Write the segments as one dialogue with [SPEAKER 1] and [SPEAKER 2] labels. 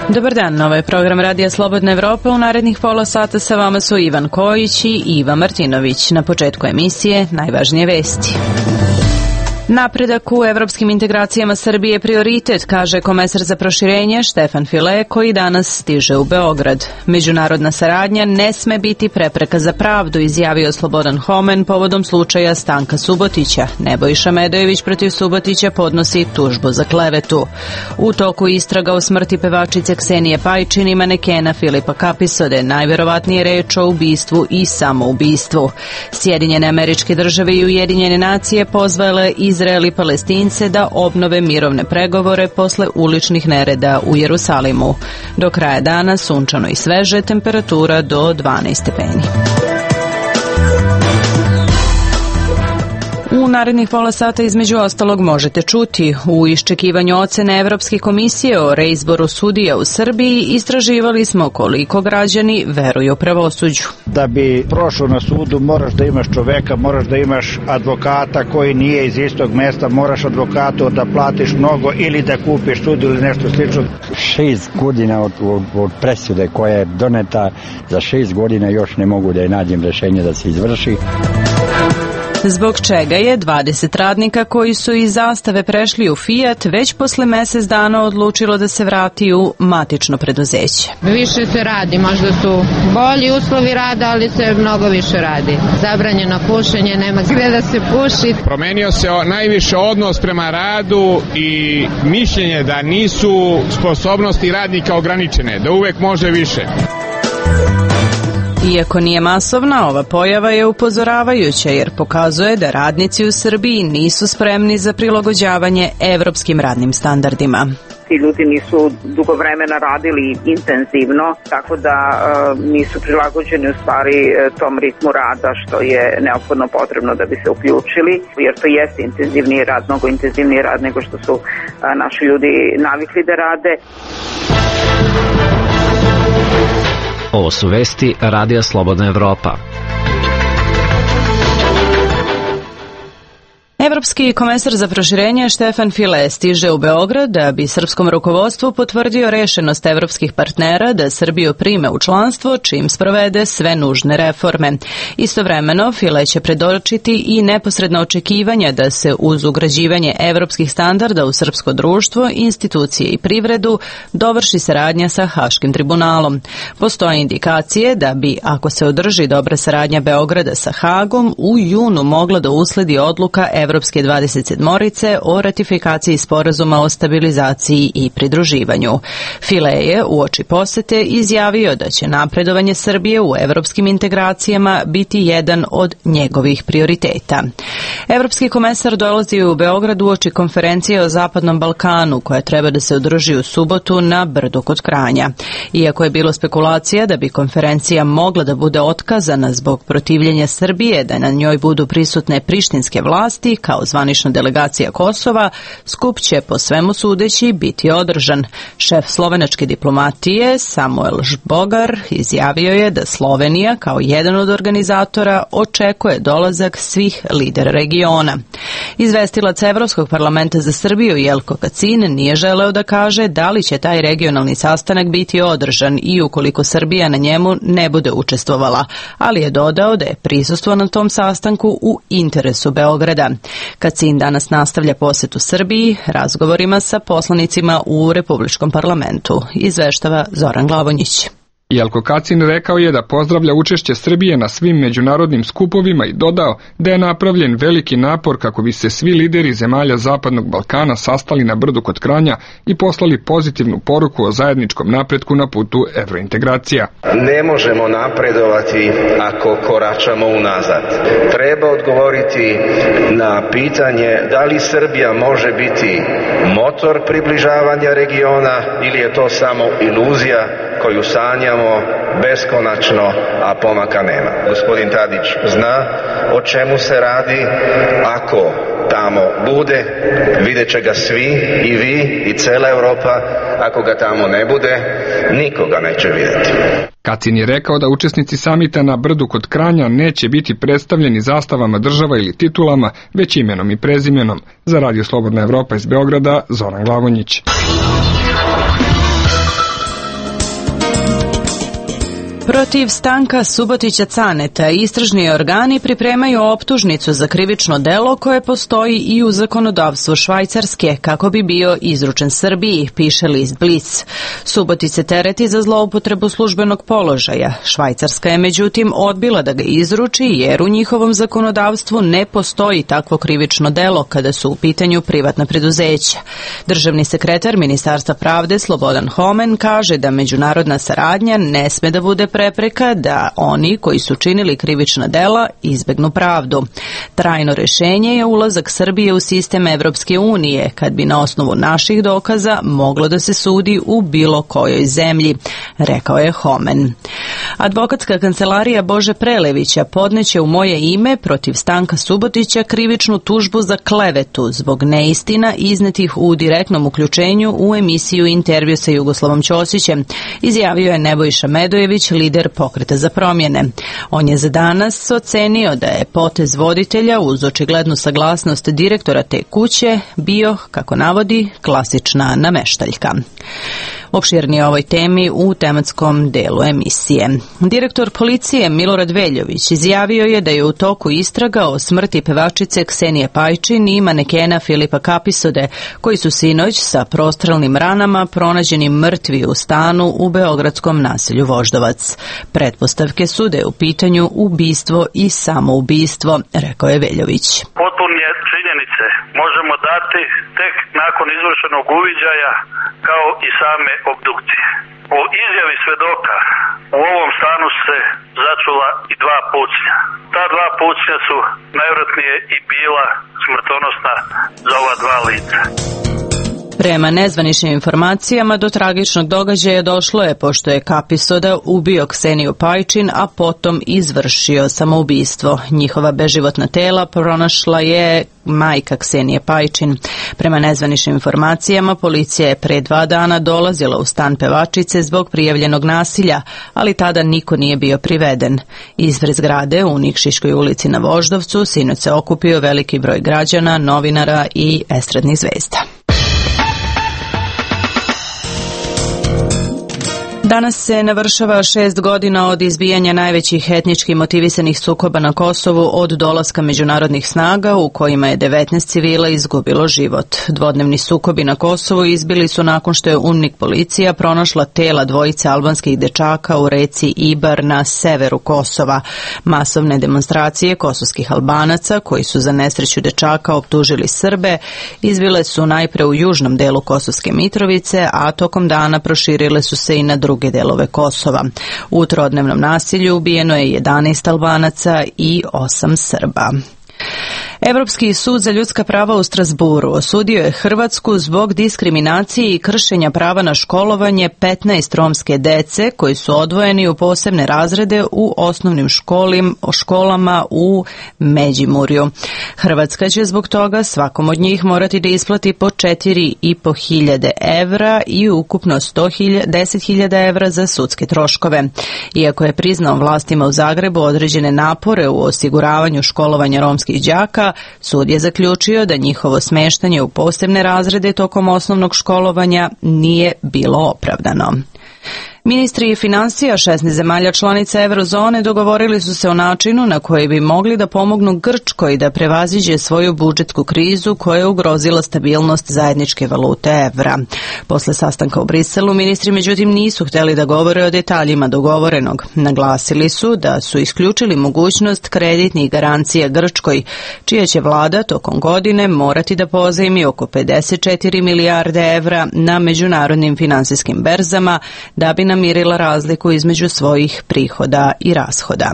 [SPEAKER 1] Dobar dan, ovo je program Radija Slobodna Evropa. U narednih pola sata sa vama su Ivan Kojić i Iva Martinović. Na početku emisije najvažnije vesti. Napredak u evropskim integracijama Srbije je prioritet, kaže komesar za proširenje Štefan File, koji danas stiže u Beograd. Međunarodna saradnja ne sme biti prepreka za pravdu, izjavio Slobodan Homen povodom slučaja Stanka Subotića. Nebojša Medojević protiv Subotića podnosi tužbu za klevetu. U toku istraga o smrti pevačice Ksenije Pajčin i manekena Filipa Kapisode, najverovatnije reč o ubistvu i samoubistvu. Sjedinjene Američke Države i Ujedinjene Nacije pozvale Izrael i Palestince da obnove mirovne pregovore posle uličnih nereda u Jerusalimu. Do kraja dana sunčano i sveže, temperatura do 12 stepeni. U narednih pola sata između ostalog možete čuti: u iščekivanju ocene Evropske komisije o reizboru sudija u Srbiji istraživali smo koliko građani veruju pravosuđu.
[SPEAKER 2] Da bi prošao na sudu moraš da imaš čoveka, moraš da imaš advokata koji nije iz istog mesta, moraš advokatu da platiš mnogo ili da kupiš sud ili nešto slično.
[SPEAKER 3] 6 godina od presude koja je doneta, za 6 godina još ne mogu da je nađem rešenje da se izvrši.
[SPEAKER 1] Zbog čega je 20 radnika koji su iz Zastave prešli u Fiat već posle mesec dana odlučilo da se vrati u matično preduzeće.
[SPEAKER 4] Više se radi, možda su bolji uslovi rada, ali se mnogo više radi. Zabranjeno pušenje, nema gde da se puši.
[SPEAKER 5] Promenio se najviše odnos prema radu i mišljenje da nisu sposobnosti radnika ograničene, da uvek može više.
[SPEAKER 1] Iako nije masovna, ova pojava je upozoravajuća jer pokazuje da radnici u Srbiji nisu spremni za prilagođavanje evropskim radnim standardima.
[SPEAKER 6] Ti ljudi nisu dugo vremena radili intenzivno, tako da nisu prilagođeni u stvari tom ritmu rada što je neophodno potrebno da bi se uključili, jer to jeste intenzivniji rad, mnogo intenzivniji rad nego što su naši ljudi navikli da rade.
[SPEAKER 7] Ovo su vesti Radija Slobodna Evropa.
[SPEAKER 1] Evropski komesar za proširenje Štefan File stiže u Beograd da bi srpskom rukovodstvu potvrdio rešenost evropskih partnera da Srbiju prime u članstvo čim sprovede sve nužne reforme. Istovremeno, File će predočiti i neposredno očekivanja da se uz ugrađivanje evropskih standarda u srpsko društvo, institucije i privredu dovrši saradnja sa Haškim tribunalom. Postoje indikacije da bi, ako se održi dobra saradnja Beograda sa Hagom, u junu mogla da usledi odluka Evropske 27-orice o ratifikaciji sporazuma o stabilizaciji i pridruživanju. File je uoči posete izjavio da će napredovanje Srbije u evropskim integracijama biti jedan od njegovih prioriteta. Evropski komesar dolazi u Beograd uoči konferencije o Zapadnom Balkanu koja treba da se održi u subotu na Brdu kod Kranja. Iako je bilo spekulacija da bi konferencija mogla da bude otkazana zbog protivljenja Srbije da na njoj budu prisutne prištinske vlasti kao zvanična delegacija Kosova, skup će po svemu sudeći biti održan. Šef slovenačke diplomatije Samuel Žbogar izjavio je da Slovenija kao jedan od organizatora očekuje dolazak svih lidera regiona. Izvestilac Evropskog parlamenta za Srbiju Jelko Kacin nije želeo da kaže da li će taj regionalni sastanak biti održan i ukoliko Srbija na njemu ne bude učestvovala, ali je dodao da je prisustvo na tom sastanku u interesu Beograda. Kacin danas nastavlja posetu Srbiji razgovorima sa poslanicima u Republičkom parlamentu, izveštava Zoran Glavonjić.
[SPEAKER 5] Jelko Kacin rekao je da pozdravlja učešće Srbije na svim međunarodnim skupovima i dodao da je napravljen veliki napor kako bi se svi lideri zemalja Zapadnog Balkana sastali na Brdu kod Kranja i poslali pozitivnu poruku o zajedničkom napretku na putu evrointegracija.
[SPEAKER 8] Ne možemo napredovati ako koračamo unazad. Treba odgovoriti na pitanje da li Srbija može biti motor približavanja regiona ili je to samo iluzija koju sanjamo beskonačno, a pomaka nema. Gospodin Tadić zna o čemu se radi. Ako tamo bude, vidjet će ga svi, i vi, i cela Europa. Ako ga tamo ne bude, nikoga neće vidjeti.
[SPEAKER 5] Kacin je rekao da učesnici samita na Brdu kod Kranja neće biti predstavljeni zastavama država ili titulama, već imenom i prezimenom. Za Radio Slobodna Evropa iz Beograda, Zoran Glavonjić.
[SPEAKER 1] Protiv Stanka Subotića Caneta istražni organi pripremaju optužnicu za krivično delo koje postoji i u zakonodavstvu Švajcarske kako bi bio izručen Srbiji, piše list Blic. Subotić se tereti za zloupotrebu službenog položaja. Švajcarska je međutim odbila da ga izruči jer u njihovom zakonodavstvu ne postoji takvo krivično delo kada su u pitanju privatna preduzeća. Državni sekretar Ministarstva pravde Slobodan Homen kaže da međunarodna saradnja ne sme da bude prepreka da oni koji su činili krivična dela izbegnu pravdu. Trajno rešenje je ulazak Srbije u sistem Evropske unije, kad bi na osnovu naših dokaza moglo da se sudi u bilo kojoj zemlji, rekao je Homen. Advokatska kancelarija Bože Prelevića podneće u moje ime protiv Stanka Subotića krivičnu tužbu za klevetu zbog neistina iznetih u direktnom uključenju u emisiju Intervju sa Jugoslavom Ćosićem, izjavio je Nebojša Medojević, lider Pokreta za promjene. On je za danas ocenio da je potez voditelja uz očiglednu saglasnost direktora te kuće bio, kako navodi, klasična nameštaljka. Opširnije o ovoj temi u tematskom delu emisije. Direktor policije Milorad Veljović izjavio je da je u toku istraga o smrti pevačice Ksenije Pajčin i manekena Filipa Kapisode, koji su sinoć sa prostrelnim ranama pronađeni mrtvi u stanu u beogradskom naselju Voždovac. Pretpostavke su da je u pitanju ubistvo i samoubistvo, rekao je Veljović.
[SPEAKER 9] Potpunije činjenice možemo dati tek nakon izvršenog uviđaja kao i same obdukcije. Po izjavi svedoka u ovom stanu se začula i 2 pucnja. Ta 2 pucnja su najvjerojatnije i bila smrtonosna za ova 2 lica.
[SPEAKER 1] Prema nezvaničnim informacijama do tragičnog događaja došlo je pošto je Kapisoda ubio Kseniju Pajčin, a potom izvršio samoubistvo. Njihova beživotna tela pronašla je majka Ksenije Pajčin. Prema nezvaničnim informacijama policija je pre 2 dana dolazila u stan pevačice zbog prijavljenog nasilja, ali tada niko nije bio priveden. Ispred zgrade u Nikšiškoj ulici na Voždovcu sinoć se okupio veliki broj građana, novinara i estradnih zvezda. Danas se navršava 6 godina od izbijanja najvećih etnički motivisanih sukoba na Kosovu od dolaska međunarodnih snaga u kojima je 19 civila izgubilo život. Dvodnevni sukobi na Kosovu izbili su nakon što je UNMIK policija pronašla tela 2 albanskih dečaka u reci Ibar na severu Kosova. Masovne demonstracije kosovskih Albanaca, koji su za nesreću dečaka optužili Srbe, izbile su najpre u južnom delu Kosovske Mitrovice, a tokom dana proširile su se i na druge delove Kosova. U trodnevnom nasilju ubijeno je 11 Albanaca i 8 Srba. Evropski sud za ljudska prava u Strasburu osudio je Hrvatsku zbog diskriminacije i kršenja prava na školovanje 15 romske dece koji su odvojeni u posebne razrede u osnovnim školama u Međimurju. Hrvatska će zbog toga svakom od njih morati da isplati po 4.500 evra i ukupno 10.000 evra za sudske troškove. Iako je priznao vlastima u Zagrebu određene napore u osiguravanju školovanja romskih đaka, sud je zaključio da njihovo smeštanje u posebne razrede tokom osnovnog školovanja nije bilo opravdano. Ministri financija 16 zemalja članica Eurozone dogovorili su se o načinu na koji bi mogli da pomognu Grčkoj da prevaziđe svoju budžetsku krizu koja je ugrozila stabilnost zajedničke valute evra. Posle sastanka u Briselu ministri međutim nisu hteli da govore o detaljima dogovorenog. Naglasili su da su isključili mogućnost kreditnih garancija Grčkoj, čija će vlada tokom godine morati da pozajmi oko 54 milijarde evra na međunarodnim finansijskim berzama da bi namirila razliku između svojih prihoda i rashoda.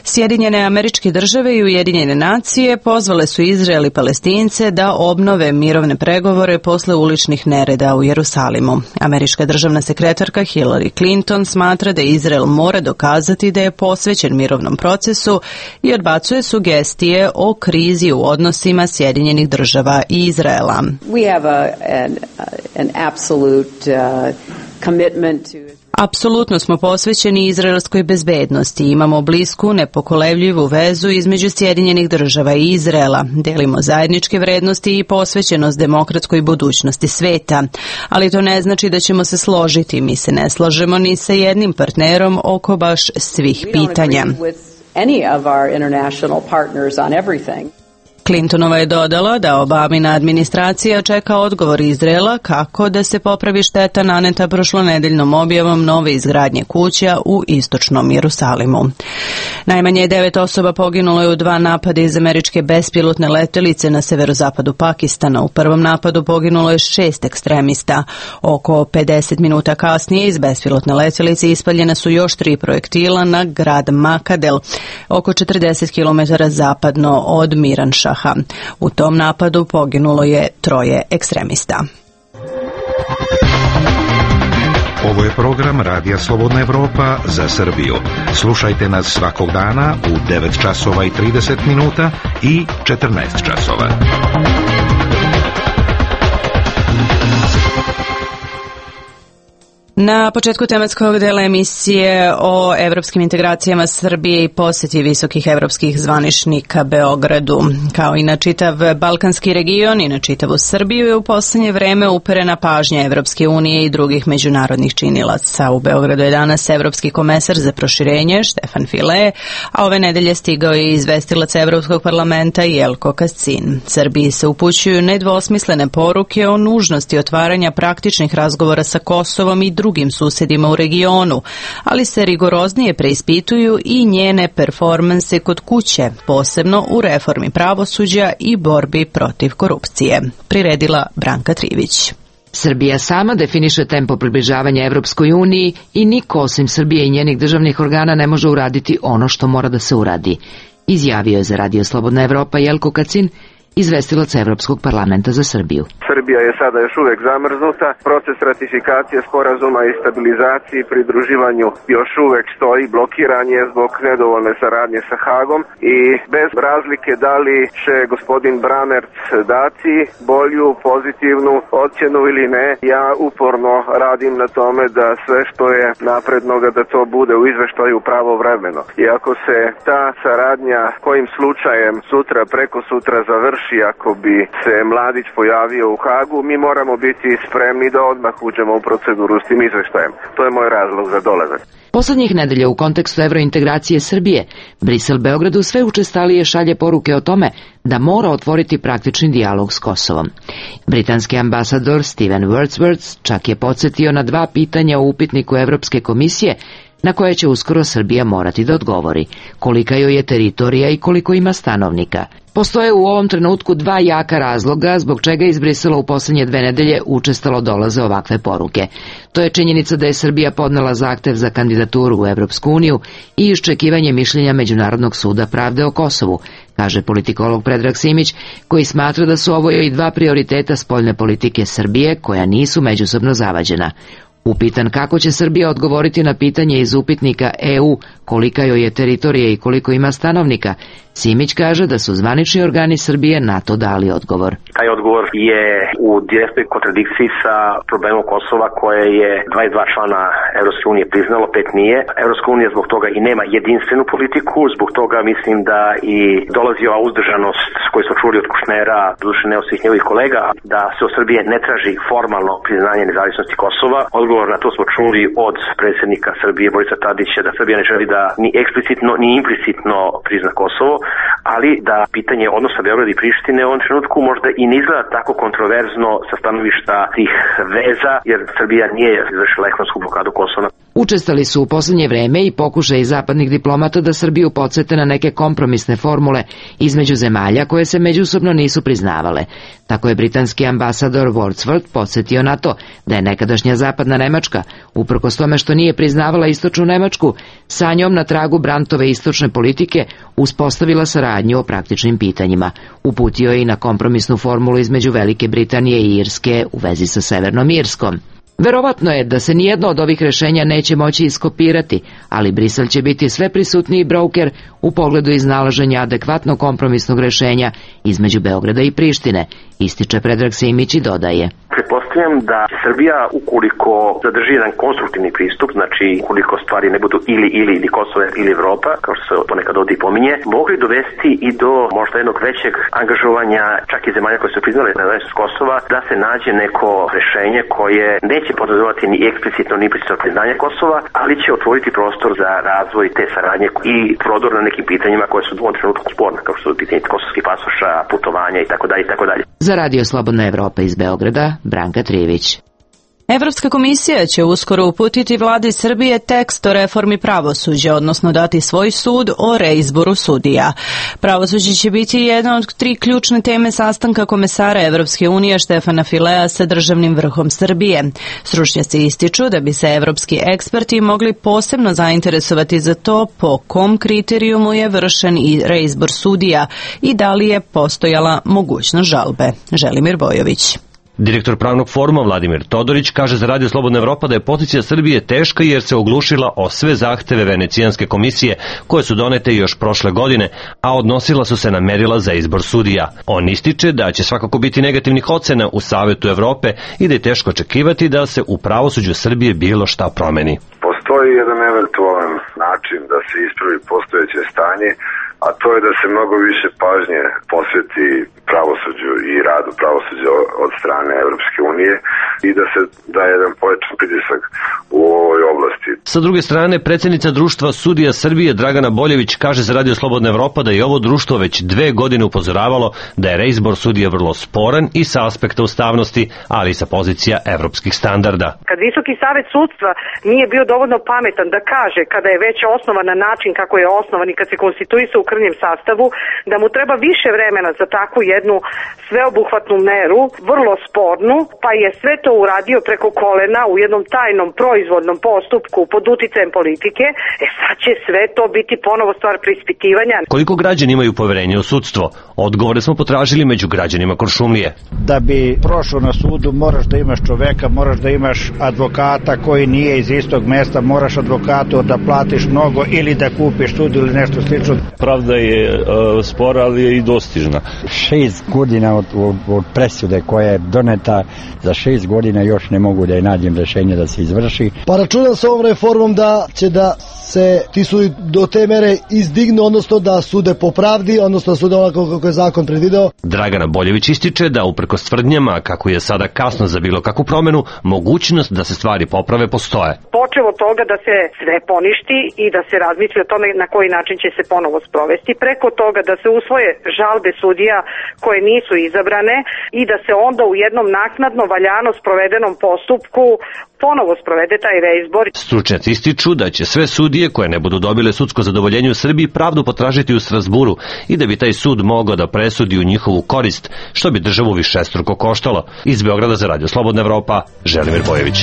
[SPEAKER 1] Sjedinjene Američke Države i Ujedinjene nacije pozvale su Izrael i Palestince da obnove mirovne pregovore posle uličnih nereda u Jerusalimu. Američka državna sekretarka Hillary Clinton smatra da Izrael mora dokazati da je posvećen mirovnom procesu i odbacuje sugestije o krizi u odnosima Sjedinjenih Država i Izraela.
[SPEAKER 10] We have an absolute commitment to
[SPEAKER 1] Apsolutno smo posvećeni izraelskoj bezbednosti. Imamo blisku, nepokolevljivu vezu između Sjedinjenih Država i Izraela. Delimo zajedničke vrednosti i posvećenost demokratskoj budućnosti sveta. Ali to ne znači da ćemo se složiti. Mi se ne slažemo ni sa jednim partnerom oko baš svih pitanja. Clintonova je dodala da Obamina administracija čeka odgovor Izraela kako da se popravi šteta naneta prošlonedeljnom objavom nove izgradnje kuća u istočnom Jerusalimu. Najmanje 9 osoba poginulo je u 2 napada iz američke bespilotne letelice na severozapadu Pakistana. U prvom napadu poginulo je 6 ekstremista. Oko 50 minuta kasnije iz bespilotne letelice ispaljene su još 3 projektila na grad Makadel, oko 40 km zapadno od Miranšaha. U tom napadu poginulo je 3 ekstremista.
[SPEAKER 10] Ovo je program Radija Slobodna Evropa za Srbiju. Slušajte nas svakog dana u 9 časova i 30 minuta i 14 časova.
[SPEAKER 1] Na početku tematskog dela emisije o evropskim integracijama Srbije i posjeti visokih evropskih zvaničnika Beogradu. Kao i na čitav balkanski region i na čitavu Srbiju je u poslednje vreme uperena pažnja Evropske unije i drugih međunarodnih činilaca. U Beogradu je danas evropski komesar za proširenje Stefan File, a ove nedelje stigao je izvestilac Evropskog parlamenta Jelko Kacin. Srbiji se upućuju nedvosmislene poruke o nužnosti otvaranja praktičnih razgovora sa Kosovom i drugim susedima u regionu, ali se rigoroznije preispituju i njene performanse kod kuće, posebno u reformi pravosuđa i borbi protiv korupcije. Priredila Branka Trivić.
[SPEAKER 11] Srbija sama definiše tempo približavanja Evropskoj uniji i niko osim Srbije i njenih državnih organa ne može uraditi ono što mora da se uradi, izjavio je za Radio Slobodna Evropa Jelko Kacin, izvestilac Evropskog parlamenta za Srbiju.
[SPEAKER 8] Srbija je sada još uvek zamrznuta, proces ratifikacije sporazuma i stabilizaciji i pridruživanju još uvek stoji, blokiran je zbog nedovoljne saradnje sa Hagom i bez razlike da li će gospodin Bramerc dati bolju, pozitivnu ocjenu ili ne, ja uporno radim na tome da sve što je naprednoga da to bude u izveštaju pravovremeno. I ako se ta saradnja kojim slučajem sutra, preko sutra završi, ako bi se Mladić pojavio u Hagu, mi moramo biti spremni da odmah uđemo u proceduru s tim izveštajem. To je moj razlog za dolazak.
[SPEAKER 11] Poslednjih nedelja u kontekstu evrointegracije Srbije, Brisel Beogradu sve učestalije šalje poruke o tome da mora otvoriti praktični dijalog s Kosovom. Britanski ambasador Steven Wordsworth čak je podsjetio na 2 pitanja u upitniku Evropske komisije na koje će uskoro Srbija morati da odgovori, kolika joj je teritorija i koliko ima stanovnika. Postoje u ovom trenutku 2 jaka razloga zbog čega iz Brisela u poslednje 2 nedelje učestalo dolaze ovakve poruke. To je činjenica da je Srbija podnela zahtev za kandidaturu u Evropsku uniju i iščekivanje mišljenja Međunarodnog suda pravde o Kosovu, kaže politikolog Predrag Simić, koji smatra da su ovo i 2 prioriteta spoljne politike Srbije koja nisu međusobno zavađena. Upitan kako će Srbija odgovoriti na pitanje iz upitnika EU kolika joj je teritorija i koliko ima stanovnika, Simić kaže da su zvanični organi Srbije na to dali odgovor.
[SPEAKER 12] Taj odgovor je u direktnoj kontradikciji sa problemom Kosova koje je 22 člana Evropske unije priznalo, 5 nije. Evropska unija zbog toga i nema jedinstvenu politiku, zbog toga mislim da i dolazi ova uzdržanost koju smo čuli od Kušnera, doduše ne od svih njegovih kolega, da se od Srbije ne traži formalno priznanje nezavisnosti Kosova. Odgovor na to smo čuli od predsjednika Srbije Borisa Tadića da Srbija ne želi da ni eksplicitno ni implicitno prizna Kosovo, ali da pitanje odnosa Beograda i Prištine u ovom trenutku možda i ne izgleda tako kontroverzno sa stanovišta tih veza, jer Srbija nije izvršila ekonomsku blokadu Kosova.
[SPEAKER 11] Učestali su u poslednje vreme i pokušaj zapadnih diplomata da Srbiju podsete na neke kompromisne formule između zemalja koje se međusobno nisu priznavale. Tako je britanski ambasador Wordsworth podsjetio na to da je nekadašnja zapadna Nemačka, uprkos tome što nije priznavala istočnu Nemačku, sa njom na tragu Brandtove istočne politike uspostavila saradnju o praktičnim pitanjima. Uputio je i na kompromisnu formulu između Velike Britanije i Irske u vezi sa Severnom Irskom. Verovatno je da se nijedno od ovih rešenja neće moći iskopirati, ali Brisel će biti sve prisutniji broker u pogledu iznalaženja adekvatnog kompromisnog rešenja između Beograda i Prištine, ističe Predrag Simić i dodaje.
[SPEAKER 12] Pretpostavljam da će Srbija, ukoliko zadrži jedan konstruktivni pristup, znači ukoliko stvari ne budu ili Kosovo ili Evropa, kao što se ponekad ovdje pominje, mogli dovesti i do možda jednog većeg angažovanja čak i zemalja koje su priznale nezavisnost Kosova, da se nađe neko rešenje koje neće podrazumevati ni eksplicitno ni implicitno priznanje Kosova, ali će otvoriti prostor za razvoj te saradnje i prodor na nekim pitanjima koje su u ovom trenutku sporne, kao što su pitanje kosovskih pasoša, putovanja itd.
[SPEAKER 11] Za Radio Slobodna Evropa iz Beograda, Branka Trijević.
[SPEAKER 1] Evropska komisija će uskoro uputiti vladi Srbije tekst o reformi pravosuđa, odnosno dati svoj sud o reizboru sudija. Pravosuđe će biti jedna od 3 ključne teme sastanka komesara Evropske unije Štefana Filea sa državnim vrhom Srbije. Stručnjaci ističu da bi se evropski eksperti mogli posebno zainteresovati za to po kom kriterijumu je vršen i reizbor sudija i da li je postojala mogućnost žalbe. Želimir Bojović.
[SPEAKER 13] Direktor pravnog foruma Vladimir Todorić kaže za Radio Slobodna Evropa da je pozicija Srbije teška jer se oglušila o sve zahteve Venecijanske komisije koje su donete još prošle godine, a odnosila su se na merila za izbor sudija. On ističe da će svakako biti negativnih ocena u Savetu Evrope i da je teško očekivati da se u pravosuđu Srbije bilo šta promeni.
[SPEAKER 14] Postoji jedan eventualan način da se ispravi postojeće stanje, a to je da se mnogo više pažnje posveti pravosuđu i radu pravosuđa od strane Evropske unije i da se da jedan pojačan pritisak u ovoj oblasti.
[SPEAKER 13] Sa druge strane, predsjednica Društva sudija Srbije Dragana Boljević kaže za Radio Slobodna Evropa da je ovo društvo već 2 godine upozoravalo da je reizbor sudija vrlo sporan i sa aspekta ustavnosti, ali i sa pozicija evropskih standarda.
[SPEAKER 15] Kad Visoki savet sudstva nije bio dovoljno pametan da kaže kada je već osnovan na način kako je osnovan i kad se konstituisao u krnjem sastavu, da mu treba više vremena za takvu jednu sveobuhvatnu meru, vrlo spornu, pa je sve to uradio preko kolena u jednom tajnom proizvodnom postupku pod uticajem politike, sad će sve to biti ponovo stvar preispitivanja.
[SPEAKER 13] Koliko građani imaju poverenje u sudstvo? Odgovore smo potražili među građanima Kuršumlije.
[SPEAKER 2] Da bi prošao na sudu moraš da imaš čoveka, moraš da imaš advokata koji nije iz istog mesta, moraš advokatu da platiš mnogo ili da kupiš sud ili nešto slično.
[SPEAKER 16] Pravda je spora, ali je i dostižna.
[SPEAKER 3] 6 godina od presude koja je doneta, za 6 godina još ne mogu da je nađem rešenje da se izvrši.
[SPEAKER 17] Pa računam sa ovom reformom da će da se ti sudi do te mere izdignu, odnosno da sude po pravdi, odnosno da sude onako kako je zakon predvideo.
[SPEAKER 13] Dragana Boljević ističe da uprkos tvrdnjama kako je sada kasno za bilo kakvu promenu, mogućnost da se stvari poprave postoje.
[SPEAKER 15] Počevo od toga da se sve poništi i da se razmisli o tome na koji način će se ponovo sprovesti, preko toga da se usvoje žalbe sudija koje nisu izabrane i da se onda u jednom naknadno valjano sprovedenom postupku ponovo sprovede taj reizbor.
[SPEAKER 13] Stručnjaci ističu da će sve sudije koje ne budu dobile sudsko zadovoljenje u Srbiji pravdu potražiti u Strazburu i da bi taj sud mogao da presudi u njihovu korist, što bi državu višestruko koštalo. Iz Beograda za Radio Slobodna Evropa, Želimir Bojević.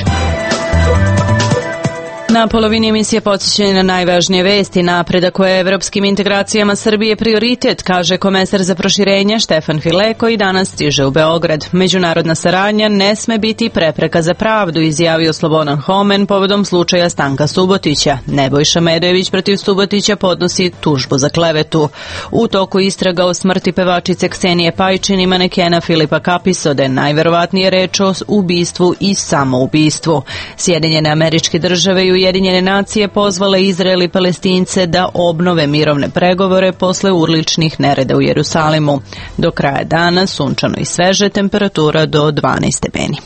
[SPEAKER 1] Na polovini emisije podsjećanje na najvažnije vesti. Napredak u evropskim integracijama Srbije prioritet, kaže komesar za proširenje Štefan File, koji danas stiže u Beograd. Međunarodna saradnja ne sme biti prepreka za pravdu, izjavio Slobodan Homen povodom slučaja Stanka Subotića. Nebojša Medojević protiv Subotića podnosi tužbu za klevetu. U toku istraga o smrti pevačice Ksenije Pajčin i manekena Filipa Kapisode najverovatnije reč o ubistvu i samoubistvu. Sjedinjene Američke Države i Ujedinjene nacije pozvale Izrael i Palestince da obnove mirovne pregovore posle urličnih nereda u Jerusalimu. Do kraja dana sunčano i sveže, temperatura do 12 stepeni.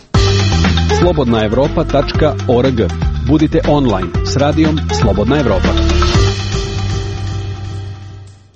[SPEAKER 18] slobodnaevropa.org. Budite online s radijom Slobodna Evropa.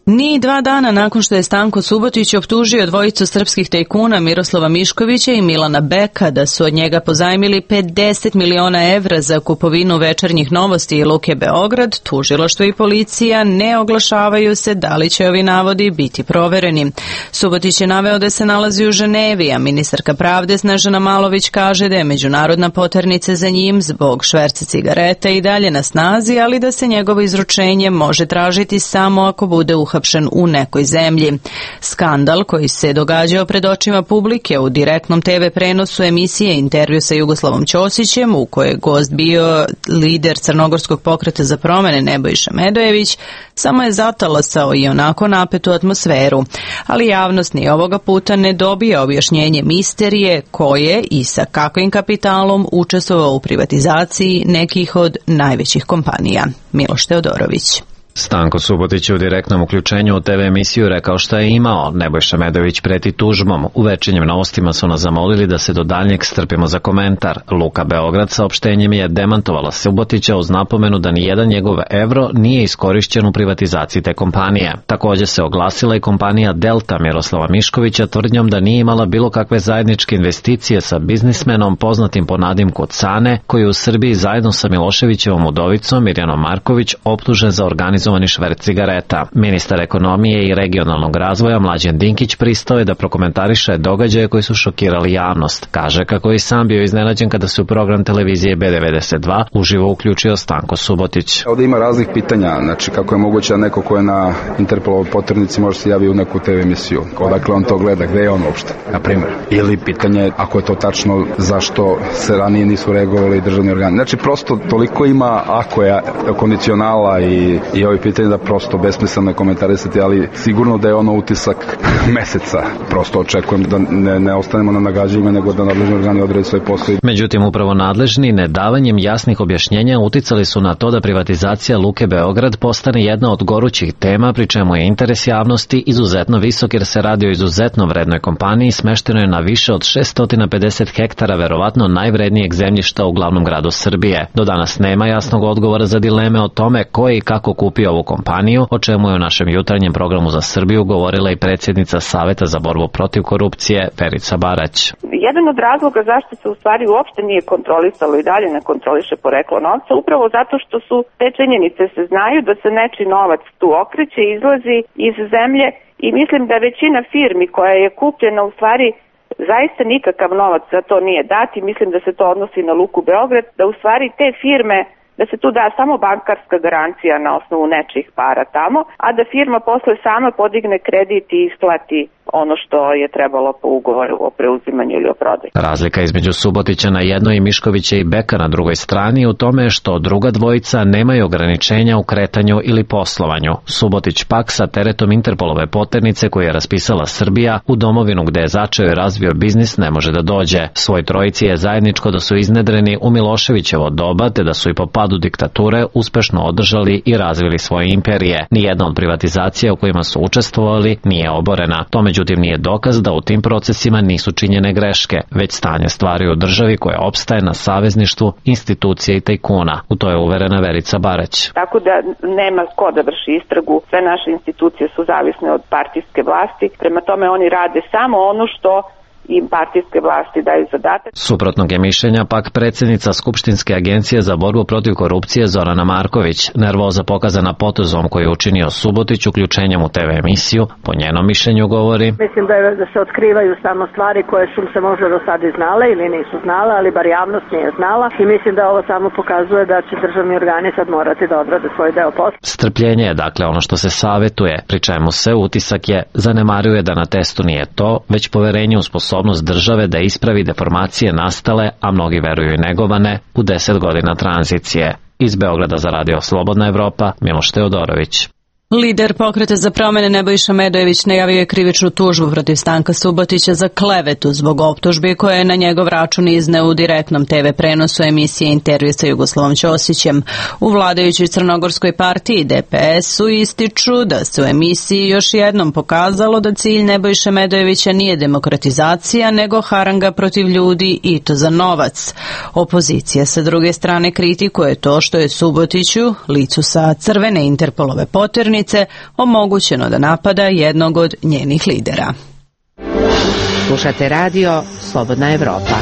[SPEAKER 1] Ni 2 dana nakon što je Stanko Subotić optužio dvojicu srpskih tajkuna Miroslava Miškovića i Milana Beka da su od njega pozajmili 50 miliona evra za kupovinu Večernjih novosti i Luke Beograd, tužilaštvo i policija ne oglašavaju se da li će ovi navodi biti provereni. Subotić je naveo da se nalazi u Ženevi, a ministarka pravde Snežana Malović kaže da je međunarodna poternica za njim zbog šverca cigareta i dalje na snazi, ali da se njegovo izručenje može tražiti samo ako bude uhapšen uhapšen u nekoj zemlji. Skandal koji se događao pred očima publike u direktnom TV prenosu emisije Intervju sa Jugoslavom Ćosićem, u kojoj je gost bio lider Crnogorskog pokreta za promene Nebojša Medojević, samo je zatalasao i onako napetu atmosferu. Ali javnost ni ovoga puta ne dobija objašnjenje misterije ko je i sa kakvim kapitalom učestvovao u privatizaciji nekih od najvećih kompanija. Miloš Teodorović.
[SPEAKER 7] Stanko Subotić je u direktnom uključenju u TV emisiju rekao šta je imao. Nebojša Medojević preti tužbom. U Večernjim novostima su nas zamolili da se do daljnjeg strpimo za komentar. Luka Beograd saopštenjem je demantovala Subotića uz napomenu da ni jedan njegov evro nije iskorišćen u privatizaciji te kompanije. Također se oglasila i kompanija Delta Miroslava Miškovića tvrdnjom da nije imala bilo kakve zajedničke investicije sa biznismenom poznatim po nadimku Cane, koji je u Srbiji zajedno sa Miloševićevom udovicom Mirjanom Marković optužen za organizovani šverc cigareta. Ministar ekonomije i regionalnog razvoja Mlađan Dinkić pristao je da prokomentariše događaje koji su šokirali javnost. Kaže kako je i sam bio iznenađen kada se u program televizije B92 uživo uključio Stanko Subotić.
[SPEAKER 19] Ovdje ima raznih pitanja, znači kako je moguće da neko ko je na Interpolovoj poternici može se javi u neku TV emisiju. Odakle on to gleda, gde je on uopšte, na primjer. Ili pitanje, ako je to tačno, zašto se ranije nisu reagovali državni organi. Znači prosto toliko ima ako je kondicionala i ovi pitanje da prosto besmisleno komentarisati, ali sigurno da je ono utisak meseca. Prosto očekujem da ne ostanemo na nagađanjima, nego da nadležni organi odrade svoj posao.
[SPEAKER 7] Međutim, upravo nadležni nedavanjem jasnih objašnjenja uticali su na to da privatizacija Luke Beograd postane jedna od gorućih tema, pri čemu je interes javnosti izuzetno visok jer se radi o izuzetno vrednoj kompaniji smeštenoj na više od 650 hektara verovatno najvrednijeg zemljišta u glavnom gradu Srbije. Do danas nema jasnog odgovora za dileme o tome ko je i kako kupio ovu kompaniju, o čemu je u našem jutarnjem programu za Srbiju govorila i predsjednica Saveta za borbu protiv korupcije Verica Barać.
[SPEAKER 20] Jedan od razloga zašto se u stvari uopšte nije kontrolisalo i dalje ne kontroliše poreklo novca, upravo zato što su te činjenice se znaju da se nečiji novac tu okreće, izlazi iz zemlje i mislim da većina firmi koja je kupljena u stvari zaista nikakav novac za to nije dat i mislim da se to odnosi na Luku Beograd, da u stvari te firme da se tu da samo bankarska garancija na osnovu nečijih para tamo, a da firma posle sama podigne kredit i isplati ono što je trebalo po ugovoru o preuzimanju ili o prodaju.
[SPEAKER 7] Razlika između Subotića na jednoj i Miškovića i Beka na drugoj strani u tome je što druga dvojica nemaju ograničenja u kretanju ili poslovanju. Subotić pak sa teretom Interpolove poternice koju je raspisala Srbija u domovinu gde je začeo i razvio biznis ne može da dođe. Svoj trojici je zajedničko da su iznedreni u Miloševićevo doba te da su i po padu diktature uspešno održali i razvili svoje imperije. Nijedna od privatizacija u kojima su učestvovali nije oborena. To međutim nije dokaz da u tim procesima nisu činjene greške, već stanje stvari u državi koje opstaje na savezništvu institucije i tajkuna. U to je uverena Verica Barać.
[SPEAKER 20] Tako da nema ko da vrši istragu, sve naše institucije su zavisne od partijske vlasti, prema tome oni rade samo ono što im partijske vlasti daju zadatak.
[SPEAKER 7] Suprotnog je mišljenja pak predsjednica Skupštinske agencije za borbu protiv korupcije Zorana Marković. Nervoza pokazana potezom koji je učinio Subotić uključenjem u TV emisiju, po njenom mišljenju govori:
[SPEAKER 21] Mislim da se otkrivaju samo stvari koje su se možda do sada i znale ili nisu znale, ali bar javnost nije znala i mislim da ovo samo pokazuje da će državni organi sad morati da odrade svoj deo posla.
[SPEAKER 7] Strpljenje je dakle ono što se savetuje, pri čemu se utisak je zanemaruje da na testu nije to, već poverenje u sposobnost države da ispravi deformacije nastale, a mnogi veruju i negovane, u 10 godina tranzicije. Iz Beograda za Radio Slobodna Evropa, Miloš Teodorović.
[SPEAKER 1] Lider Pokreta za promene Nebojša Medojević najavio je krivičnu tužbu protiv Stanka Subotića za klevetu zbog optužbi koje je na njegov račun izneo u direktnom TV prenosu emisije Intervju sa Jugoslavom Ćosićem. U vladajućoj Crnogorskoj partiji DPS-u ističu da se u emisiji još jednom pokazalo da cilj Nebojše Medojevića nije demokratizacija, nego haranga protiv ljudi i to za novac. Opozicija sa druge strane kritikuje to što je Subotiću, licu sa crvene Interpolove poternice, omogućeno da napada jednog od njenih lidera.
[SPEAKER 11] Slušate radio Slobodna Evropa.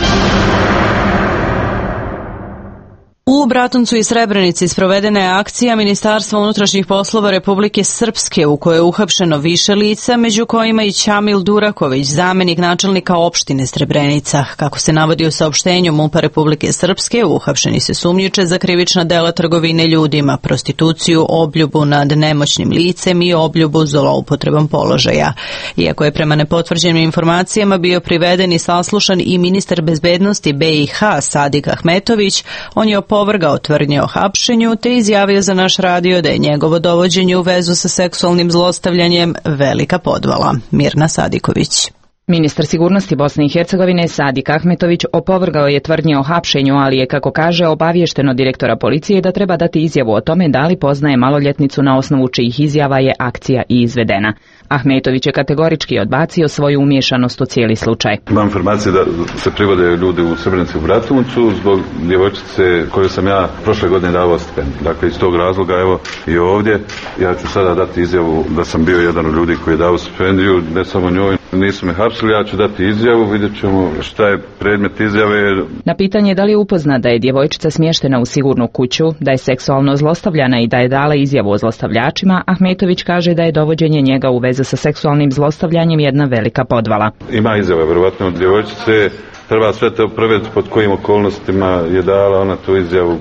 [SPEAKER 1] U Bratuncu i Srebrenici sprovedena je akcija Ministarstva unutrašnjih poslova Republike Srpske u kojoj je uhapšeno više lica, među kojima i Ćamil Duraković, zamenik načelnika opštine Srebrenica. Kako se navodi u saopštenju MUP-a Republike Srpske, uhapšeni se sumnjiče za krivična dela trgovine ljudima, prostituciju, obljubu nad nemoćnim licem i obljubu zloupotrebom položaja. Iako je prema nepotvrđenim informacijama bio priveden i saslušan i ministar bezbednosti BiH Sadik Ahmetović, on je opovrgao tvrdnje o hapšenju te izjavio za naš radio da je njegovo dovođenje u vezu sa seksualnim zlostavljanjem velika podvala. Mirna Sadiković.
[SPEAKER 4] Ministar sigurnosti Bosne i Hercegovine Sadik Ahmetović opovrgao je tvrdnje o hapšenju, ali je, kako kaže, obaviješteno direktora policije da treba dati izjavu o tome da li poznaje maloljetnicu na osnovu čijih izjava je akcija i izvedena. Ahmetović je kategorički odbacio svoju umiješanost u cijeli slučaj.
[SPEAKER 22] Imam informacije da se privode ljudi u Srebrenici u Bratuncu zbog djevojčice koju sam ja prošle godine davao stipendiju. Dakle, iz tog razloga, evo i ovdje, ja ću sada dati izjavu da sam bio jedan od ljudi koji je dao stipendiju, ne samo njoj, nisu me hapsili, ja ću dati izjavu, vidjet ćemo šta je predmet izjave.
[SPEAKER 4] Na pitanje da li je upoznat da je djevojčica smještena u sigurnu kuću, da je seksualno zlostavljana i da je dala izjavu o zlostavljačima, Ahmetović kaže da je dovođenje njega u vezu sa seksualnim zlostavljanjem jedna velika podvala.
[SPEAKER 22] Ima izjava, vjerovatno od djevojčice, treba sve to provjeriti pod kojim okolnostima je dala ona tu izjavu,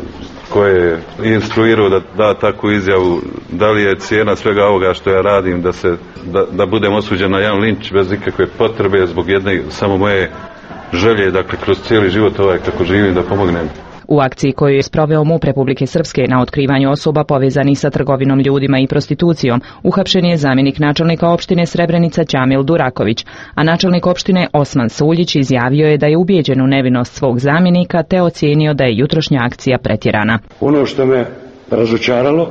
[SPEAKER 22] koje je instruirao da da takvu izjavu, da li je cijena svega ovoga što ja radim, da budem osuđen na jedan linč bez ikakve potrebe zbog jedne samo moje želje, dakle kroz cijeli život kako živim da pomognem.
[SPEAKER 4] U akciji koju je sproveo MUP Republike Srpske na otkrivanju osoba povezanih sa trgovinom ljudima i prostitucijom, uhapšen je zamjenik načelnika opštine Srebrenica Ćamil Duraković, a načelnik opštine Osman Suljić izjavio je da je ubijeđen u nevinost svog zamjenika te ocijenio da je jutrošnja akcija pretjerana.
[SPEAKER 23] Ono što me razočaralo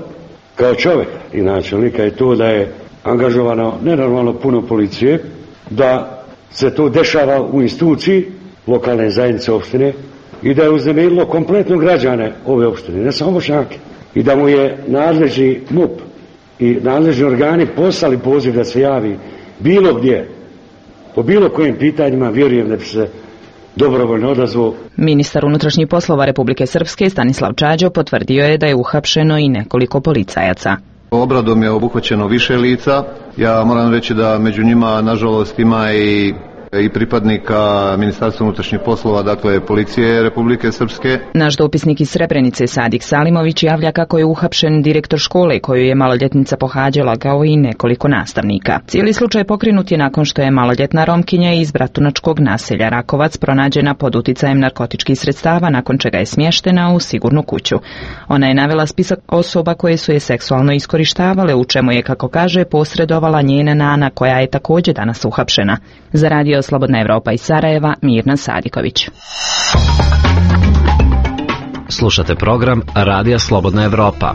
[SPEAKER 23] kao čovjek i načelnika je to da je angažovano nenormalno puno policije, da se to dešava u instituciji lokalne zajednice opštine i da je uznemirilo kompletno građane ove opštine, ne samo Bošnjake, i da mu je nadležni MUP i nadležni organi poslali poziv da se javi bilo gdje, po bilo kojim pitanjima, vjerujem da bi se dobrovoljno odazvao.
[SPEAKER 4] Ministar unutrašnjih poslova Republike Srpske Stanislav Čađo potvrdio je da je uhapšeno i nekoliko policajaca.
[SPEAKER 24] Obradom je obuhvaćeno više lica. Ja moram reći da među njima, nažalost, ima i pripadnika Ministarstva unutrašnjih poslova, dakle policije Republike Srpske.
[SPEAKER 4] Naš dopisnik iz Srebrenice Sadik Salimović javlja kako je uhapšen direktor škole koju je maloljetnica pohađala, kao i nekoliko nastavnika. Cijeli slučaj pokrenut je nakon što je maloljetna Romkinja iz bratunačkog naselja Rakovac pronađena pod uticajem narkotičkih sredstava, nakon čega je smještena u sigurnu kuću. Ona je navela spisak osoba koje su je seksualno iskorištavale, u čemu je, kako kaže, posredovala njena nana, koja je također danas uhapšena. Za Radio Slobodna Evropa iz Sarajeva, Mirna Sadiković.
[SPEAKER 7] Slušate program Radija Slobodna Evropa.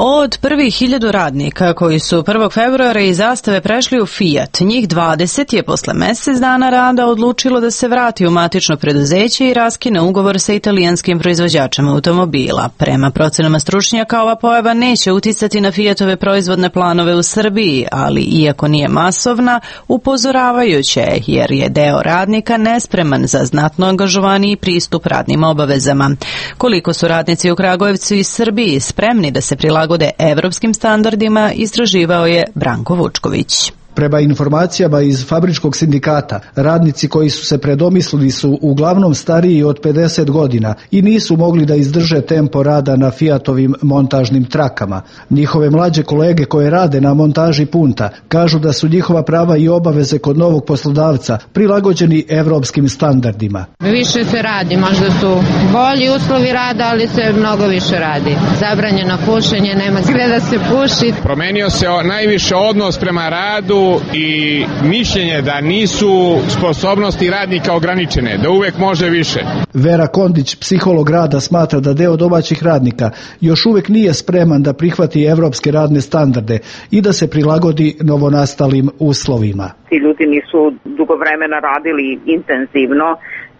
[SPEAKER 1] Od prvih 1000 radnika koji su 1. februara iz Zastave prešli u Fiat, njih 20 je posle mjesec dana rada odlučilo da se vrati u matično preduzeće i raskine ugovor sa italijanskim proizvođačem automobila. Prema procenama stručnjaka, ova pojava neće uticati na Fiatove proizvodne planove u Srbiji, ali iako nije masovna, upozoravajuće je, jer je deo radnika nespreman za znatno angažovaniji pristup radnim obavezama. Koliko su radnici u Kragujevcu i Srbiji spremni da se prilagode evropskim standardima, istraživao je Branko Vučković.
[SPEAKER 25] Prema informacijama iz fabričkog sindikata, radnici koji su se predomislili su uglavnom stariji od 50 godina i nisu mogli da izdrže tempo rada na Fiatovim montažnim trakama. Njihove mlađe kolege koje rade na montaži punta kažu da su njihova prava i obaveze kod novog poslodavca prilagođeni evropskim standardima.
[SPEAKER 26] Više se radi, možda su bolji uslovi rada, ali se mnogo više radi. Zabranjeno pušenje, nema gdje da se puši.
[SPEAKER 27] Promenio se najviše odnos prema radu i mišljenje da nisu sposobnosti radnika ograničene, da uvek može više.
[SPEAKER 25] Vera Kondić, psiholog rada, smatra da deo domaćih radnika još uvek nije spreman da prihvati evropske radne standarde i da se prilagodi novonastalim uslovima.
[SPEAKER 6] Ti ljudi nisu dugo vremena radili intenzivno,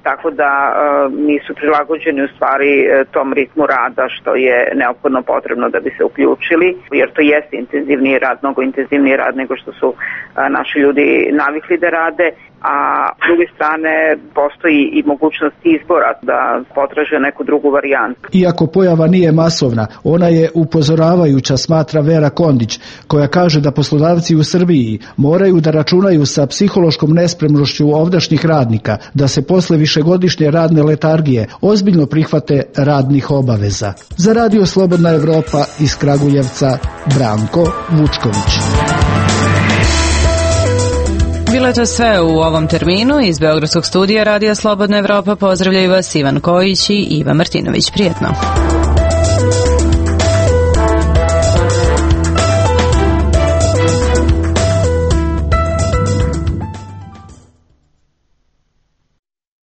[SPEAKER 6] tako da nisu prilagođeni u stvari tom ritmu rada što je neophodno potrebno da bi se uključili, jer to jeste intenzivniji rad, mnogo intenzivniji rad nego što su naši ljudi navikli da rade. a s druge strane postoji i mogućnost izbora da potraže neku drugu varijantu.
[SPEAKER 25] Iako pojava nije masovna, ona je upozoravajuća, smatra Vera Kondić, koja kaže da poslodavci u Srbiji moraju da računaju sa psihološkom nespremnošću ovdašnjih radnika, da se posle višegodišnje radne letargije ozbiljno prihvate radnih obaveza. Za Radio Slobodna Evropa iz Kragujevca, Branko Vučković.
[SPEAKER 1] Bilo je to sve u ovom terminu. Iz Beogradskog studija Radija Slobodna Evropa pozdravljaju vas Ivan Kojić i Iva Martinović. Prijetno.